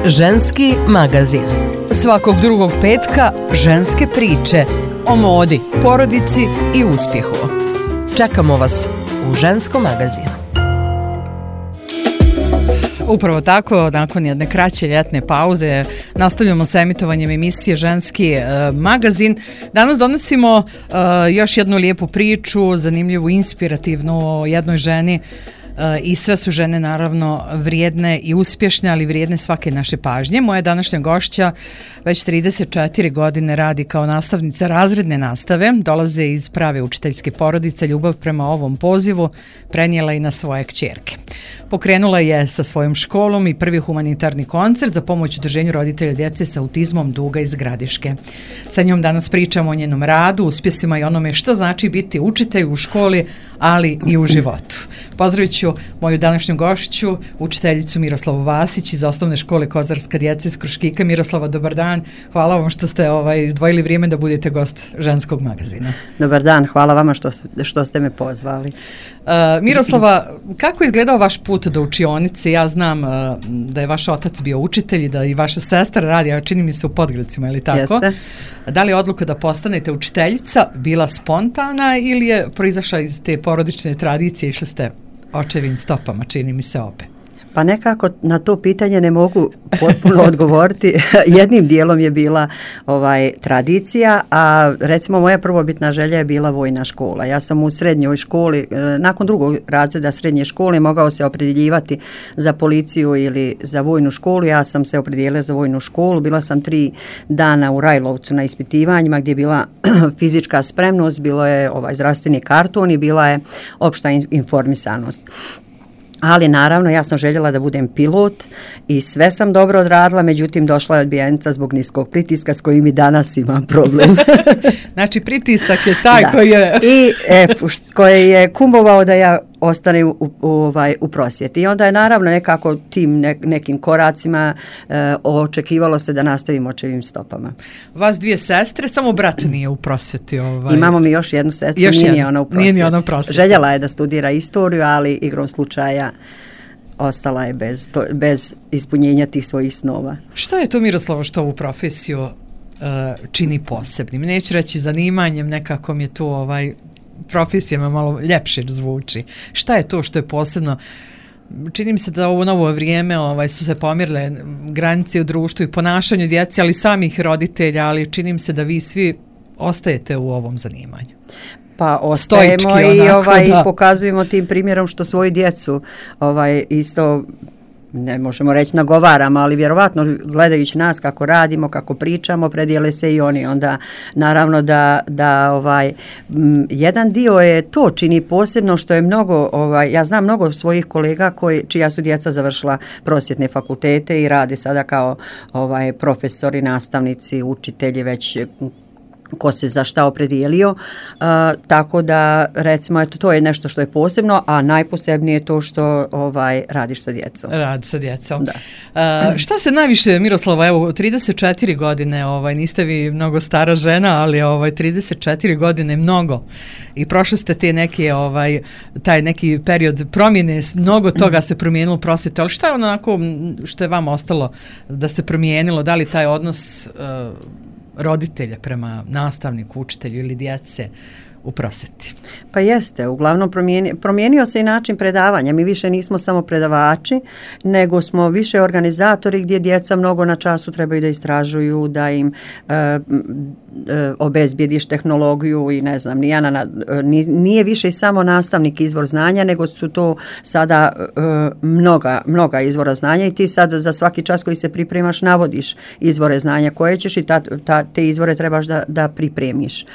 Ženski magazin. Svakog drugog petka ženske priče o modi, porodici i uspjehu. Čekamo vas u Ženskom magazinu. Upravo tako, nakon jedne kraće ljetne pauze, nastavljamo sa emitovanjem emisije Ženski magazin. Danas donosimo još jednu lijepu priču, zanimljivu, inspirativnu o jednoj ženi. I sve su žene naravno vrijedne i uspješne, ali vrijedne svake naše pažnje. Moja današnja gošća već 34 godine radi kao nastavnica razredne nastave, dolaze iz prave učiteljske porodice, ljubav prema ovom pozivu prenijela i na svoje kćerke. Pokrenula je sa svojom školom i prvi humanitarni koncert za pomoć udruženju roditelja djece sa autizmom Duga iz Gradiške. Sa njom danas pričamo o njenom radu, uspjesima i onome što znači biti učitelj u školi, ali i u životu. Pozdravit ću moju današnju gošću, učiteljicu Miroslavu Vasić iz osnovne škole Kozarska djeca iz Kruškika. Miroslava, dobar dan. Hvala vam što ste izdvojili vrijeme da budete gost Ženskog magazina. Dobar dan, hvala vama što ste me pozvali. Miroslava, kako je izgledao vaš put do učionice? Ja znam da je vaš otac bio učitelj i da i vaša sestra radi, a čini mi se u Podgradcima, ili tako? Jeste. Da li je odluka da postanete učiteljica bila spontana ili je proizašla iz te porodične tradicije, išli ste očevim stopama, čini mi se obe? Pa nekako na to pitanje ne mogu potpuno odgovoriti. Jednim dijelom je bila tradicija, a recimo moja prvobitna želja je bila vojna škola. Ja sam u srednjoj školi, nakon drugog razreda srednje škole, mogao se opredjeljivati za policiju ili za vojnu školu. Ja sam se opredijelila za vojnu školu. Bila sam 3 dana u Rajlovcu na ispitivanjima gdje je bila fizička spremnost, bilo je zdravstveni karton i bila je opšta informisanost. Ali naravno ja sam željela da budem pilot i sve sam dobro odradila, međutim došla je odbijenica zbog niskog pritiska s kojim i danas imam problem. Znači pritisak je taj koji je... I koji je kumovao da ja ostane u prosvjeti. I onda je naravno nekako tim nekim koracima očekivalo se da nastavim očevim stopama. Vas 2 sestre, samo brat nije u prosvjeti. Imamo mi još jednu sestru, nije ona u prosvjeti. Željela je da studira istoriju, ali igrom slučaja ostala je bez ispunjenja tih svojih snova. Šta je to, Miroslava, što ovu profesiju čini posebnim? Neću reći zanimanjem, nekako mi je tu profesijama malo ljepše zvuči. Šta je to što je posebno? Čini mi se da ovo novo vrijeme su se pomirile granice u društvu i ponašanju djece, ali samih roditelja, ali čini mi se da vi svi ostajete u ovom zanimanju. Pa ostajemo i pokazujemo tim primjerom što svoju djecu isto, ne možemo reći nagovaramo, ali vjerovatno gledajući nas kako radimo, kako pričamo, predijele se i oni. Onda naravno da jedan dio je to čini posebno što je mnogo, ja znam mnogo svojih kolega čija su djeca završila prosvjetne fakultete i rade sada kao profesori, nastavnici, učitelji, već ko se za šta opredijelio, tako da recimo to je nešto što je posebno, a najposebnije je to što radiš sa djecom. Rad sa djecom. Da. Šta se najviše, Miroslava, evo 34 godine, niste vi mnogo stara žena, ali 34 godine mnogo i prošli ste te neke taj neki period promjene, mnogo toga se promijenilo u prosvjeti, ali šta je onako što je vam ostalo da se promijenilo, da li taj odnos roditelja prema nastavniku, učitelju ili djece u prosvjeti? Pa jeste, uglavnom promijenio se i način predavanja. Mi više nismo samo predavači, nego smo više organizatori gdje djeca mnogo na času trebaju da istražuju, da im obezbijediš tehnologiju i ne znam, nije više samo nastavnik izvor znanja, nego su to sada mnoga izvora znanja i ti sad za svaki čas koji se pripremaš navodiš izvore znanja koje ćeš i te izvore trebaš da pripremiš.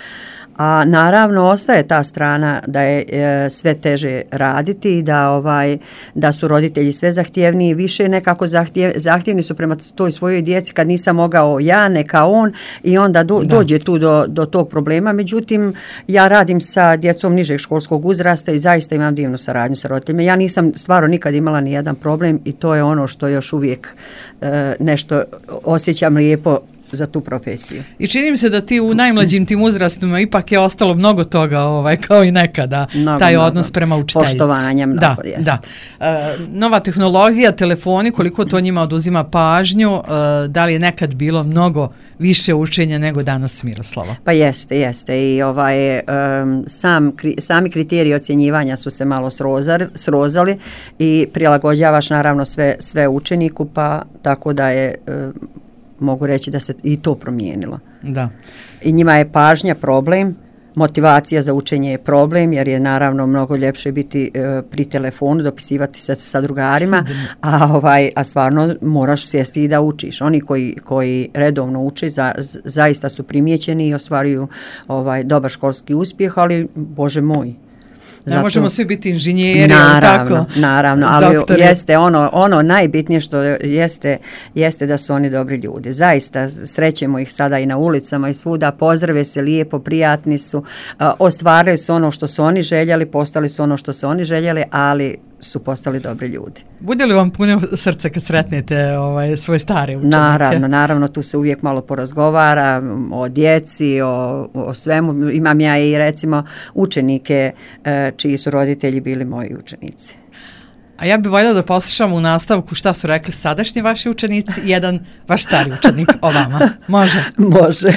A naravno ostaje ta strana da je sve teže raditi i da su roditelji sve zahtjevniji, više nekako zahtjevni su prema toj svojoj djeci kad nisam mogao ja, neka on i onda dođe tu do tog problema. Međutim, ja radim sa djecom nižeg školskog uzrasta i zaista imam divnu saradnju sa roditeljima. Ja nisam stvarno nikad imala ni jedan problem i to je ono što još uvijek nešto osjećam lijepo za tu profesiju. I čini mi se da ti u najmlađim tim uzrastima ipak je ostalo mnogo toga, kao i nekada, taj odnos prema učiteljici. Poštovanje mnogo, jest. Da. Nova tehnologija, telefoni, koliko to njima oduzima pažnju, da li je nekad bilo mnogo više učenja nego danas, Miroslava? Pa jeste. I sami kriteriji ocjenjivanja su se malo srozali i prilagođavaš naravno sve učeniku, pa tako da je mogu reći da se i to promijenilo. Da. I njima je pažnja problem, motivacija za učenje je problem, jer je naravno mnogo ljepše biti pri telefonu, dopisivati se sa drugarima, a stvarno moraš sjesti i da učiš. Oni koji redovno uče zaista su primijećeni i ostvaruju dobar školski uspjeh, ali Bože moj. Ne možemo svi biti inženjeri, naravno, ali jeste ono najbitnije što jeste da su oni dobri ljudi. Zaista srećemo ih sada i na ulicama i svuda, pozdrave se lijepo, prijatni su, ostvarili su ono što su oni željeli, postali su ono što su oni željeli, ali su postali dobri ljudi. Bude li vam puno srce kad sretnete svoje stare učenike? Naravno, tu se uvijek malo porazgovara o djeci, o svemu. Imam ja i recimo učenike čiji su roditelji bili moji učenici. A ja bih voljela da poslušam u nastavku šta su rekli sadašnji vaši učenici i jedan vaš stari učenik o vama. Može? Može.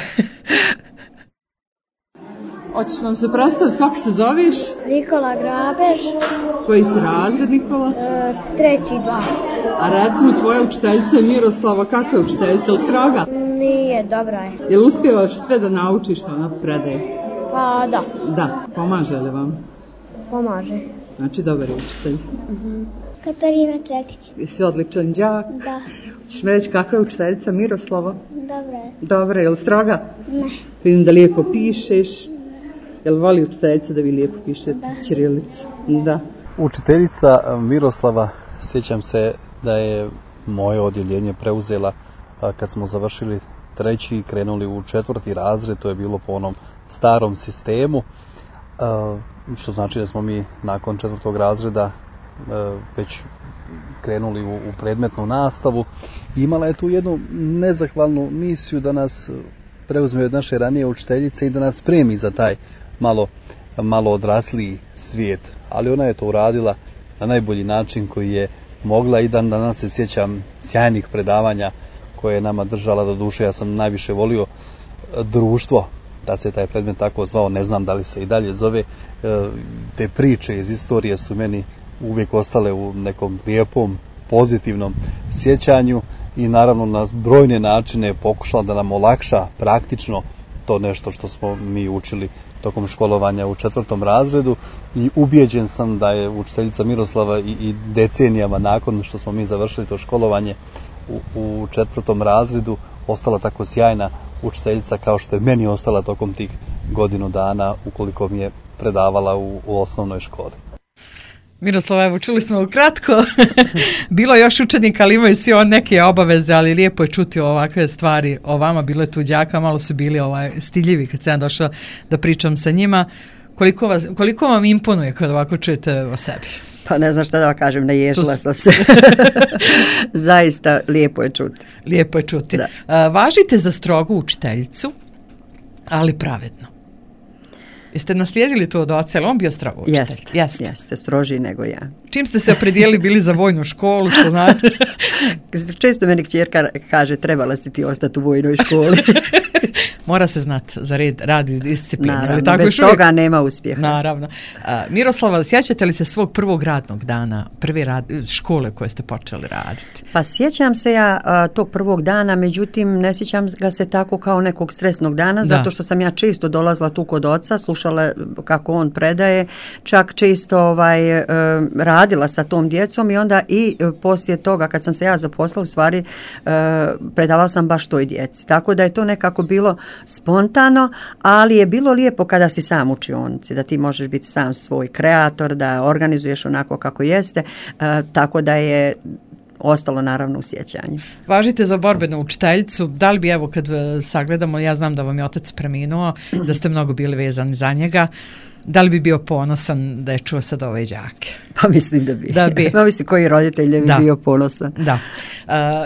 Hoćeš nam se predstaviti kako se zoveš? Nikola Grabež. Koji si razred, Nikola? 3. 2. A recimo tvoja učiteljica Miroslava, kako je učiteljica, ili stroga? Nije, dobra je. Jel uspijevaš sve da naučiš što ona predaje? Pa da. Da, pomaže li vam? Pomaže. Znači dobar je učitelj. Katarina Čekić. Jesi odličan đak? Da. Hoćeš mi reći kakva je učiteljica Miroslava? Dobra je. Dobra, je li stroga? Ne. Vidim da lijepo pišeš. Jel voli učiteljica da vi lijepo pišete ćirilicu? Da. Učiteljica Miroslava, sjećam se da je moje odjeljenje preuzela kad smo završili 3. i krenuli u 4. razred, to je bilo po onom starom sistemu, što znači da smo mi nakon 4. razreda već krenuli u predmetnu nastavu. Imala je tu jednu nezahvalnu misiju da nas preuzme od naše ranije učiteljice i da nas spremi za taj malo odrasliji svijet. Ali ona je to uradila na najbolji način koji je mogla i dan danas se sjećam sjajnih predavanja koje je nama držala. Do duše ja sam najviše volio društvo, da se taj predmet tako zvao, ne znam da li se i dalje zove. Te priče iz istorije su meni uvijek ostale u nekom lijepom, pozitivnom sjećanju i naravno na brojne načine pokušala da nam olakša praktično to nešto što smo mi učili tokom školovanja u 4. razredu i ubijeđen sam da je učiteljica Miroslava i decenijama nakon što smo mi završili to školovanje u 4. razredu ostala tako sjajna učiteljica kao što je meni ostala tokom tih godinu dana ukoliko mi je predavala u osnovnoj školi. Miroslava, evo čuli smo ukratko, bilo je još učenika, ali imaju svi neke obaveze, ali lijepo je čuti ovakve stvari o vama, bilo je tu đaka, malo su bili stiljivi kad sam došla da pričam sa njima. Koliko vam imponuje kad ovako čujete o sebi? Pa ne znam šta da vam kažem, naježila sam se. Zaista lijepo je čuti. Lijepo je čuti. Važite za strogu učiteljicu, ali pravedno. Jeste naslijedili to od oca, ali on bio strogo učitelj? Jeste, strožiji nego ja. Čim ste se opredijelili bili za vojnu školu, što znate? Često meni kćerka kaže, trebala si ti ostati u vojnoj školi. Mora se znati za rad i disciplinu. Naravno, tako bez toga nema uspjeha. Naravno. Miroslava, sjećate li se svog prvog radnog dana, prve škole koje ste počeli raditi? Pa sjećam se ja tog prvog dana, međutim ne sjećam ga se tako kao nekog stresnog dana, zato što sam ja često dolazila tu kod oca, slušala kako on predaje, čak često radila sa tom djecom i onda i poslije toga kad sam se ja zaposlila u stvari predavala sam baš toj djeci. Tako da je to nekako bilo spontano, ali je bilo lijepo kada si sam u učionici, da ti možeš biti sam svoj kreator, da organizuješ onako kako jeste, tako da je ostalo naravno u sjećanju. Važite za borbenu učiteljicu, da li bi, evo kad sagledamo, ja znam da vam je otac preminuo, da ste mnogo bili vezani za njega, da li bi bio ponosan da je čuo sad ove đake? Pa mislim da bi. Da bi. Pa mislim koji roditelj ne bi bio ponosan. Da.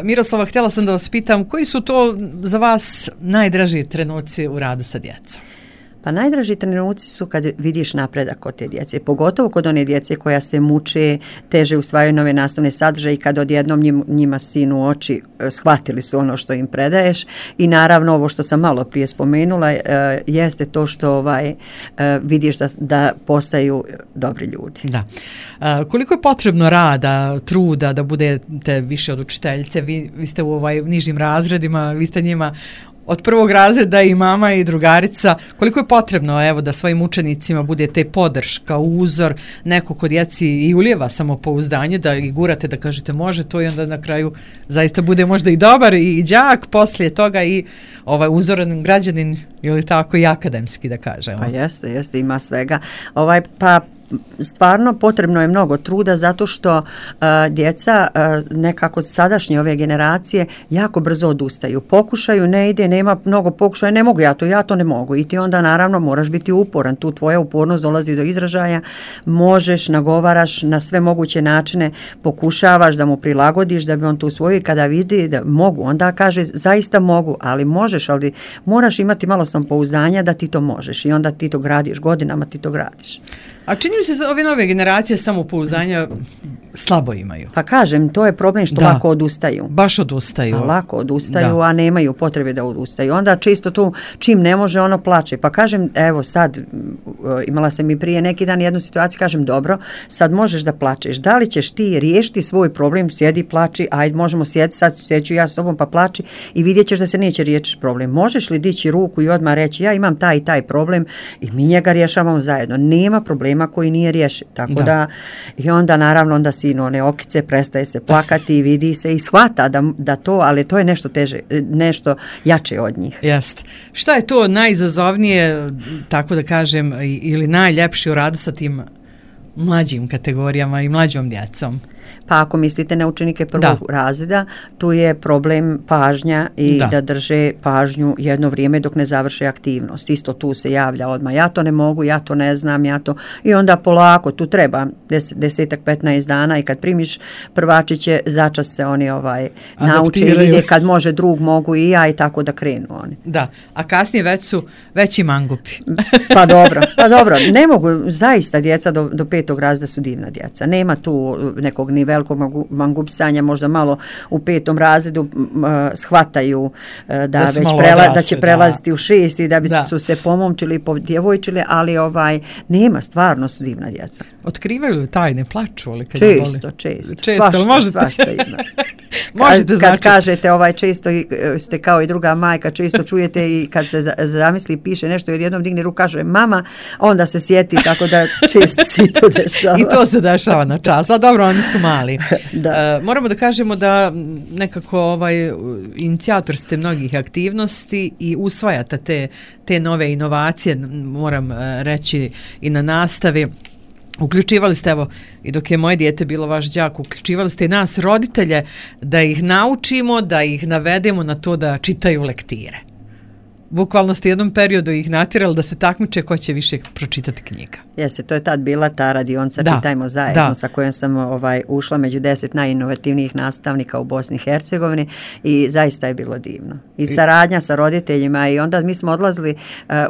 Miroslava, htjela sam da vas pitam, koji su to za vas najdraži trenuci u radu sa djecom? Pa najdraži trenuci su kad vidiš napredak kod te djece, pogotovo kod one djece koja se muče, teže usvajaju nove nastavne sadržaje i kad odjednom njima sinu oči shvatili su ono što im predaješ i naravno ovo što sam malo prije spomenula jeste to što vidiš da postaju dobri ljudi. Da. Koliko je potrebno rada, truda da budete više od učiteljice? Vi ste u nižim razredima, vi ste njima od prvog razreda i mama i drugarica. Koliko je potrebno evo da svojim učenicima budete podrška, uzor, neko kod djeci i ulijeva samopouzdanje, da ih gurate, da kažete može to i onda na kraju zaista bude možda i dobar i đak, poslije toga i uzoran građanin ili tako i akademski da kažemo. Pa jeste, ima svega. Pa stvarno potrebno je mnogo truda zato što djeca nekako sadašnje ove generacije jako brzo odustaju. Pokušaju, ne ide, nema mnogo pokušaja, ne mogu ja to ne mogu. I ti onda naravno moraš biti uporan. Tu tvoja upornost dolazi do izražaja. Možeš, nagovaraš na sve moguće načine, pokušavaš da mu prilagodiš da bi on to usvojio i kada vidi da mogu, onda kaže zaista mogu, ali možeš, ali moraš imati malo samopouzdanja da ti to možeš i onda ti to gradiš, godinama ti to gradiš. A čini mi se da ove nove generacije samopouzdanja slabo imaju. Pa kažem, to je problem što lako odustaju. Baš odustaju. Lako odustaju, a nemaju potrebe da odustaju. Onda čisto tu, čim ne može, ono plače. Pa kažem, evo sad, imala sam i prije neki dan jednu situaciju, kažem, dobro, sad možeš da plačeš. Da li ćeš ti riješiti svoj problem, sjedi, plači, ajde, možemo sjeti, sad sjeću ja s tobom, pa plači i vidjet ćeš da se neće riješiti problem. Možeš li dići ruku i odmah reći, ja imam taj i taj problem i mi njega rješavamo zajedno. Nema problema koji nije riješen. Tako da i onda naravno onda sino one okice, prestaje se plakati i vidi se i shvata da to, ali to je nešto teže, nešto jače od njih. Jest. Šta je to najizazovnije, tako da kažem, ili najljepše u radu sa tim mlađim kategorijama i mlađom djecom? Pa ako mislite na učenike prvog razreda, tu je problem pažnja i da drže pažnju jedno vrijeme dok ne završe aktivnost. Isto tu se javlja odmah, ja to ne mogu, ja to ne znam, i onda polako, tu treba 10-15 dana i kad primiš prvačiće, začas se oni nauče i vide kad može drug, mogu i ja i tako da krenu oni. Da, a kasnije već su veći mangupi. Pa dobro, ne mogu, zaista djeca do 5. razreda su divna djeca. Nema tu nekog ni velikog mangupsanja, možda malo u 5. razredu shvataju da će prelaziti u 6. i da bi su se pomomčili i podjevojčili, ali nema, stvarno su divna djeca. Otkrivaju li tajne, plaču li? Često, svašta ima. Kad kažete često ste kao i druga majka, često čujete i kad se zamisli piše nešto i odjednom digne ruku, kaže mama, onda se sjeti, tako da često se i to dešava. I to se dešava na čas, a dobro, oni su mali. Moramo da kažemo da nekako inicijator ste mnogih aktivnosti i usvajate te nove inovacije, moram reći i na nastavi. Uključivali ste, evo, i dok je moje dijete bilo vaš đak, uključivali ste i nas roditelje da ih naučimo, da ih navedemo na to da čitaju lektire. Bukvalno ste jednom periodu ih natjerali da se takmiče ko će više pročitati knjiga. Jeste, to je tad bila ta radionca Čitajmo zajedno sa kojom sam ušla među 10 najinovativnijih nastavnika u Bosni i Hercegovini i zaista je bilo divno. I saradnja sa roditeljima i onda mi smo odlazili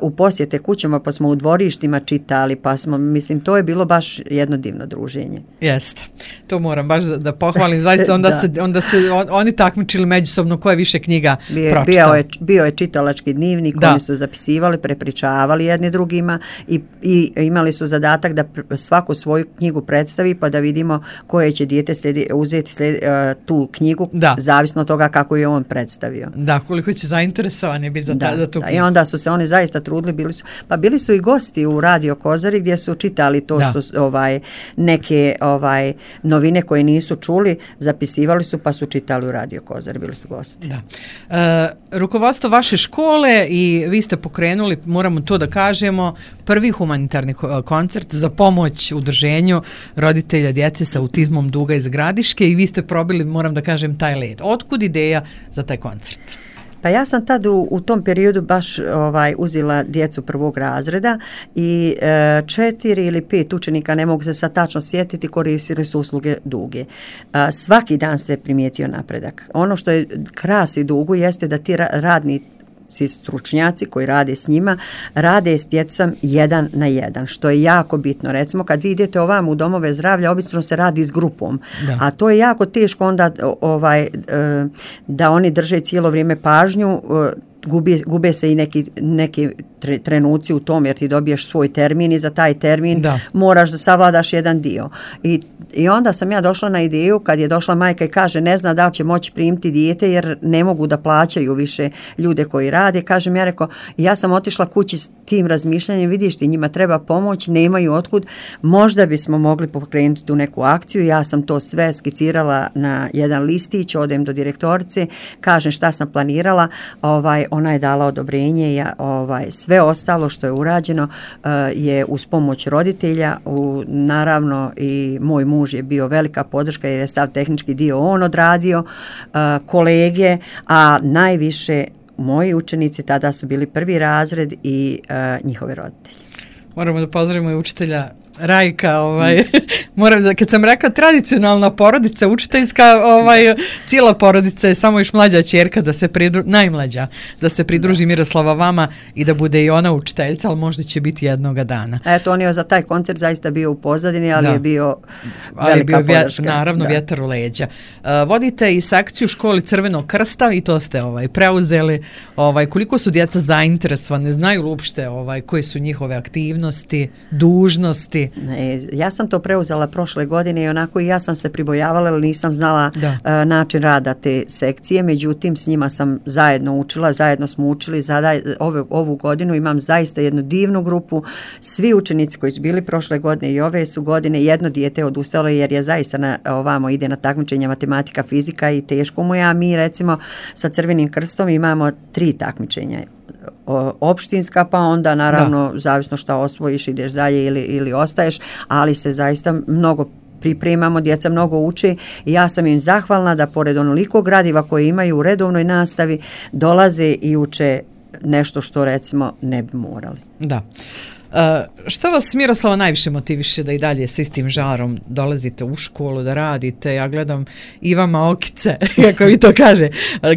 u posjete kućama pa smo u dvorištima čitali pa smo, to je bilo baš jedno divno druženje. Jeste, to moram baš da pohvalim, zaista onda se oni takmičili međusobno ko je više knjiga pročitao. Bio je čitalački dnevnik, oni su zapisivali, prepričavali jedni drugima i imali su zadatak da svaku svoju knjigu predstavi pa da vidimo koje će dijete uzeti tu knjigu, zavisno od toga kako je on predstavio. Da, koliko će zainteresovani biti za tu knjigu. I onda su se oni zaista trudili, bili su i gosti u Radio Kozari gdje su čitali to što neke novine koje nisu čuli, zapisivali su pa su čitali u Radio Kozari, bili su gosti. Da. Rukovodstvo vaše škole je i vi ste pokrenuli, moramo to da kažemo, prvi humanitarni koncert za pomoć udruženju roditelja djece sa autizmom Duga iz Gradiške i vi ste probili, moram da kažem, taj led. Otkud ideja za taj koncert? Pa ja sam tad u tom periodu baš uzela djecu prvog razreda i 4 ili 5 učenika, ne mogu se sad tačno sjetiti, koristili su usluge Duge. Svaki dan se primijetio napredak. Ono što je krasi Dugu jeste da ti radni stručnjaci koji rade s njima, rade s djecom 1 na 1, što je jako bitno. Recimo, kad vi idete ovam u domove zdravlja, obično se radi s grupom, a to je jako teško onda da oni drže cijelo vrijeme pažnju, gube se i neki trenuci u tom, jer ti dobiješ svoj termin i za taj termin moraš da savladaš jedan dio. I onda sam ja došla na ideju, kad je došla majka i kaže ne zna da će moći primiti dijete jer ne mogu da plaćaju više ljude koji rade. Kažem, ja rekao, ja sam otišla kući s tim razmišljanjem, vidiš ti, njima treba pomoć, nemaju otkud, možda bismo mogli pokrenuti tu neku akciju. Ja sam to sve skicirala na jedan listić, odem do direktorice, kažem šta sam planirala, ona je dala odobrenje, sve ostalo što je urađeno je uz pomoć roditelja, naravno i moj muž je bio velika podrška jer je sav tehnički dio on odradio, kolege, a najviše moji učenici, tada su bili prvi razred i njihove roditelji. Moramo da pozdravimo i učitelja Rajka, moram, kad sam rekla tradicionalna porodica, učiteljska, cijela porodica je samo još mlađa ćerka najmlađa, da se pridruži Miroslava vama i da bude i ona učiteljica, ali možda će biti jednoga dana. Eto, on je za taj koncert zaista bio u pozadini, ali je bio velika podrška. Naravno, vjetar u leđa. Vodite i sekciju školi Crvenog krsta i to ste preuzeli. Koliko su djeca zainteresovane, znaju uopšte koje su njihove aktivnosti, dužnosti? Ja sam to preuzela prošle godine i onako i ja sam se pribojavala, ali nisam znala način rada te sekcije, međutim s njima sam zajedno učila, zajedno smo učili, ovu godinu imam zaista jednu divnu grupu, svi učenici koji su bili prošle godine i ove su godine, jedno dijete odustalo jer je zaista ovamo ide na takmičenja matematika, fizika i teško mu je, a mi recimo sa Crvenim krstom imamo 3 takmičenja. Opštinska, pa onda naravno zavisno šta osvojiš ideš dalje ili ostaješ, ali se zaista mnogo pripremamo, djeca mnogo uče i ja sam im zahvalna da pored onoliko gradiva koje imaju u redovnoj nastavi dolaze i uče nešto što recimo ne bi morali. Da. Što vas, Miroslava, najviše motiviše da i dalje s istim žarom dolazite u školu, da radite? Ja gledam i vama okice, kako vi to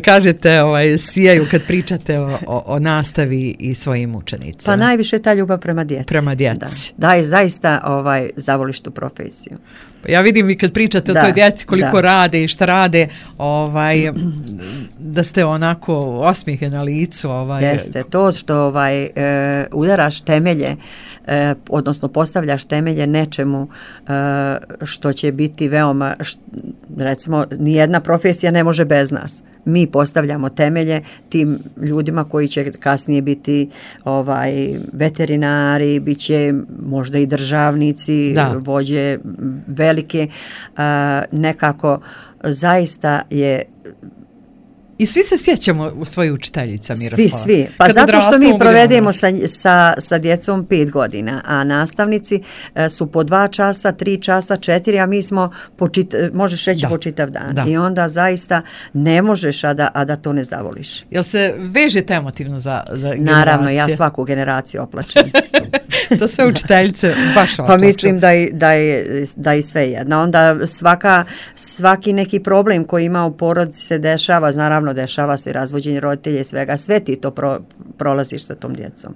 kažete, sijaju kad pričate o nastavi i svojim učenicima. Pa najviše ta ljubav prema djeci. Prema djeci. Da je zaista zavoliš tu profesiju. Ja vidim i kad pričate o toj djeci koliko rade i šta rade, da ste onako osmijehe na licu. Jeste, to što udaraš temelje, odnosno postavljaš temelje nečemu što će biti veoma, recimo, nijedna profesija ne može bez nas. Mi postavljamo temelje tim ljudima koji će kasnije biti veterinari, bit će možda i državnici, vođe velike, nekako zaista je. I svi se sjećamo u svoju učiteljica, Miroslava. Svi. Pa zato što mi provedemo sa djecom 5 godina, a nastavnici su po 2 časa, 3 časa, 4, a mi smo, možeš reći, po čitav dan. Da. I onda zaista ne možeš, a da to ne zavoliš. Jel se vežete emotivno za generacije? Naravno, ja svaku generaciju oplačem. To sve učiteljice baš oplaču. Pa mislim da je sve jedna. Onda svaki neki problem koji ima u porodici se dešava, naravno dešava se razvođenje roditelja i svega, sve ti to prolaziš sa tom djecom.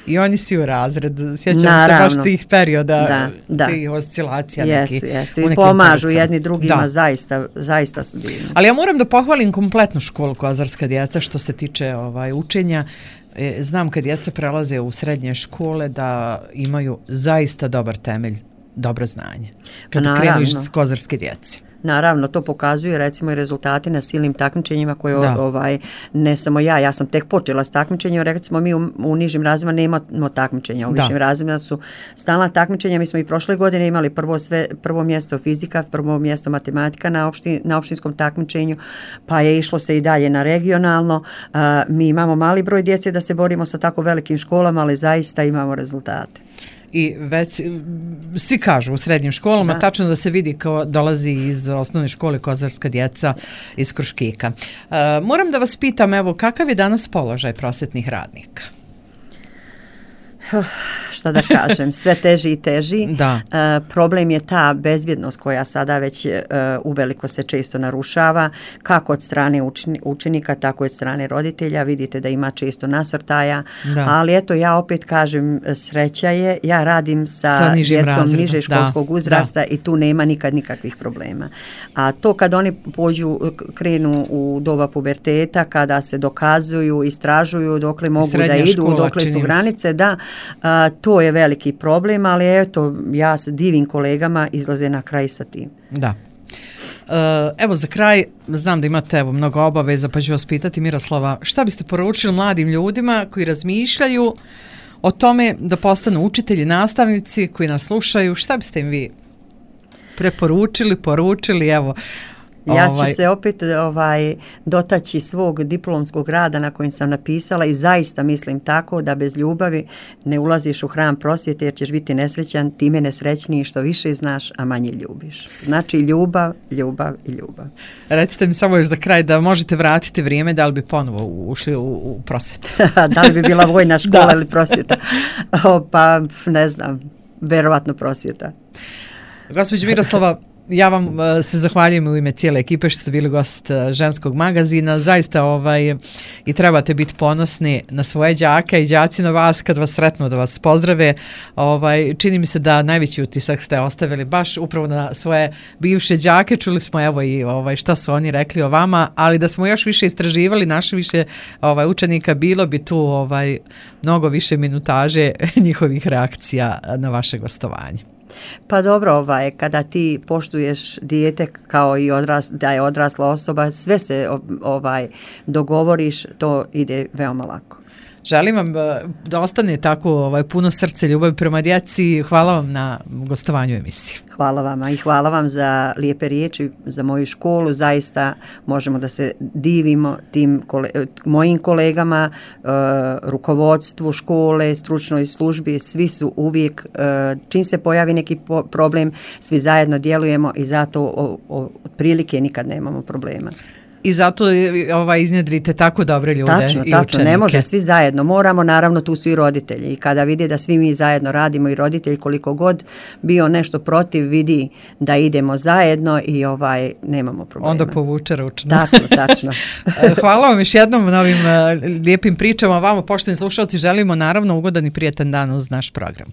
I oni si u razred, sjećam se baš tih perioda, tih oscilacija. Jesu, i pomažu jedni drugima, zaista su divni. Ali ja moram da pohvalim kompletnu školu Kozarska djeca što se tiče učenja. Znam kad djeca prelaze u srednje škole da imaju zaista dobar temelj dobro znanje kada krenu iz kozarske djece. Naravno, to pokazuju recimo i rezultati na silnim takmičenjima koje ne samo ja sam tek počela s takmičenjima, recimo mi u nižim razredima nemamo takmičenja, u višim razredima su stalna takmičenja, mi smo i prošle godine imali prvo mjesto fizika, prvo mjesto matematika na opštinskom takmičenju, pa je išlo se i dalje na regionalno, mi imamo mali broj djece da se borimo sa tako velikim školama, ali zaista imamo rezultate. I već svi kažu u srednjim školama, tačno da se vidi kao dolazi iz osnovne škole kozarska djeca iz Kruškika. Moram da vas pitam, evo, kakav je danas položaj prosvetnih radnika? Šta da kažem, sve teži i teži. Problem je ta bezbjednost koja sada već uveliko se često narušava, kako od strane učenika, tako i od strane roditelja. Vidite da ima često nasrtaja, ali eto, ja opet kažem, sreća je, ja radim sa djecom niže školskog uzrasta i tu nema nikad nikakvih problema. A to kad oni krenu u doba puberteta, kada se dokazuju, istražuju, dokle mogu da idu, dokle su granice, to je veliki problem, ali eto, ja se divim kolegama, izlaze na kraj sa tim. Da. Evo za kraj, znam da imate mnogo obaveza, pa ću vas pitati, Miroslava, šta biste poručili mladim ljudima koji razmišljaju o tome da postanu učitelji, nastavnici, koji nas slušaju, šta biste im vi poručili, evo? Ja ću se opet dotaći svog diplomskog rada na kojem sam napisala i zaista mislim tako da bez ljubavi ne ulaziš u hram prosvjete jer ćeš biti nesrećan, time nesrećniji što više znaš, a manje ljubiš. Znači ljubav, ljubav i ljubav. Recite mi samo još za kraj da možete vratiti vrijeme, da li bi ponovo ušli u prosvjetu? Da li bi bila vojna škola ili prosvjeta? Pa ne znam, verovatno prosvjeta. Gospođo Miroslava, ja vam se zahvaljujem u ime cijele ekipe što ste bili gost ženskog magazina. Zaista i trebate biti ponosni na svoje đake i đaci na vas kad vas sretnu da vas pozdrave. Čini mi se da najveći utisak ste ostavili baš upravo na svoje bivše đake. Čuli smo evo i šta su oni rekli o vama, ali da smo još više istraživali naše više učenika, bilo bi tu mnogo više minutaže njihovih reakcija na vaše gostovanje. Pa dobro, kada ti poštuješ dijete kao i da je odrasla osoba, sve se dogovoriš, to ide veoma lako. Želim vam da ostane tako puno srce, ljubavi prema djeci. Hvala vam na gostovanju emisije. Hvala vama i hvala vam za lijepe riječi, za moju školu. Zaista možemo da se divimo tim mojim kolegama, rukovodstvu škole, stručnoj službi. Svi su uvijek, čim se pojavi neki problem, svi zajedno djelujemo i zato otprilike nikad nemamo problema. I zato iznjedrite tako dobre ljude tačno, i učenike. Ne može, svi zajedno moramo, naravno tu su i roditelji i kada vidi da svi mi zajedno radimo i roditelji koliko god bio nešto protiv vidi da idemo zajedno i nemamo problema. Onda povuče ručno. Tačno. Hvala vam još jednom na ovim lijepim pričama, vama pošteni slušalci želimo naravno ugodan i prijetan dan uz naš program.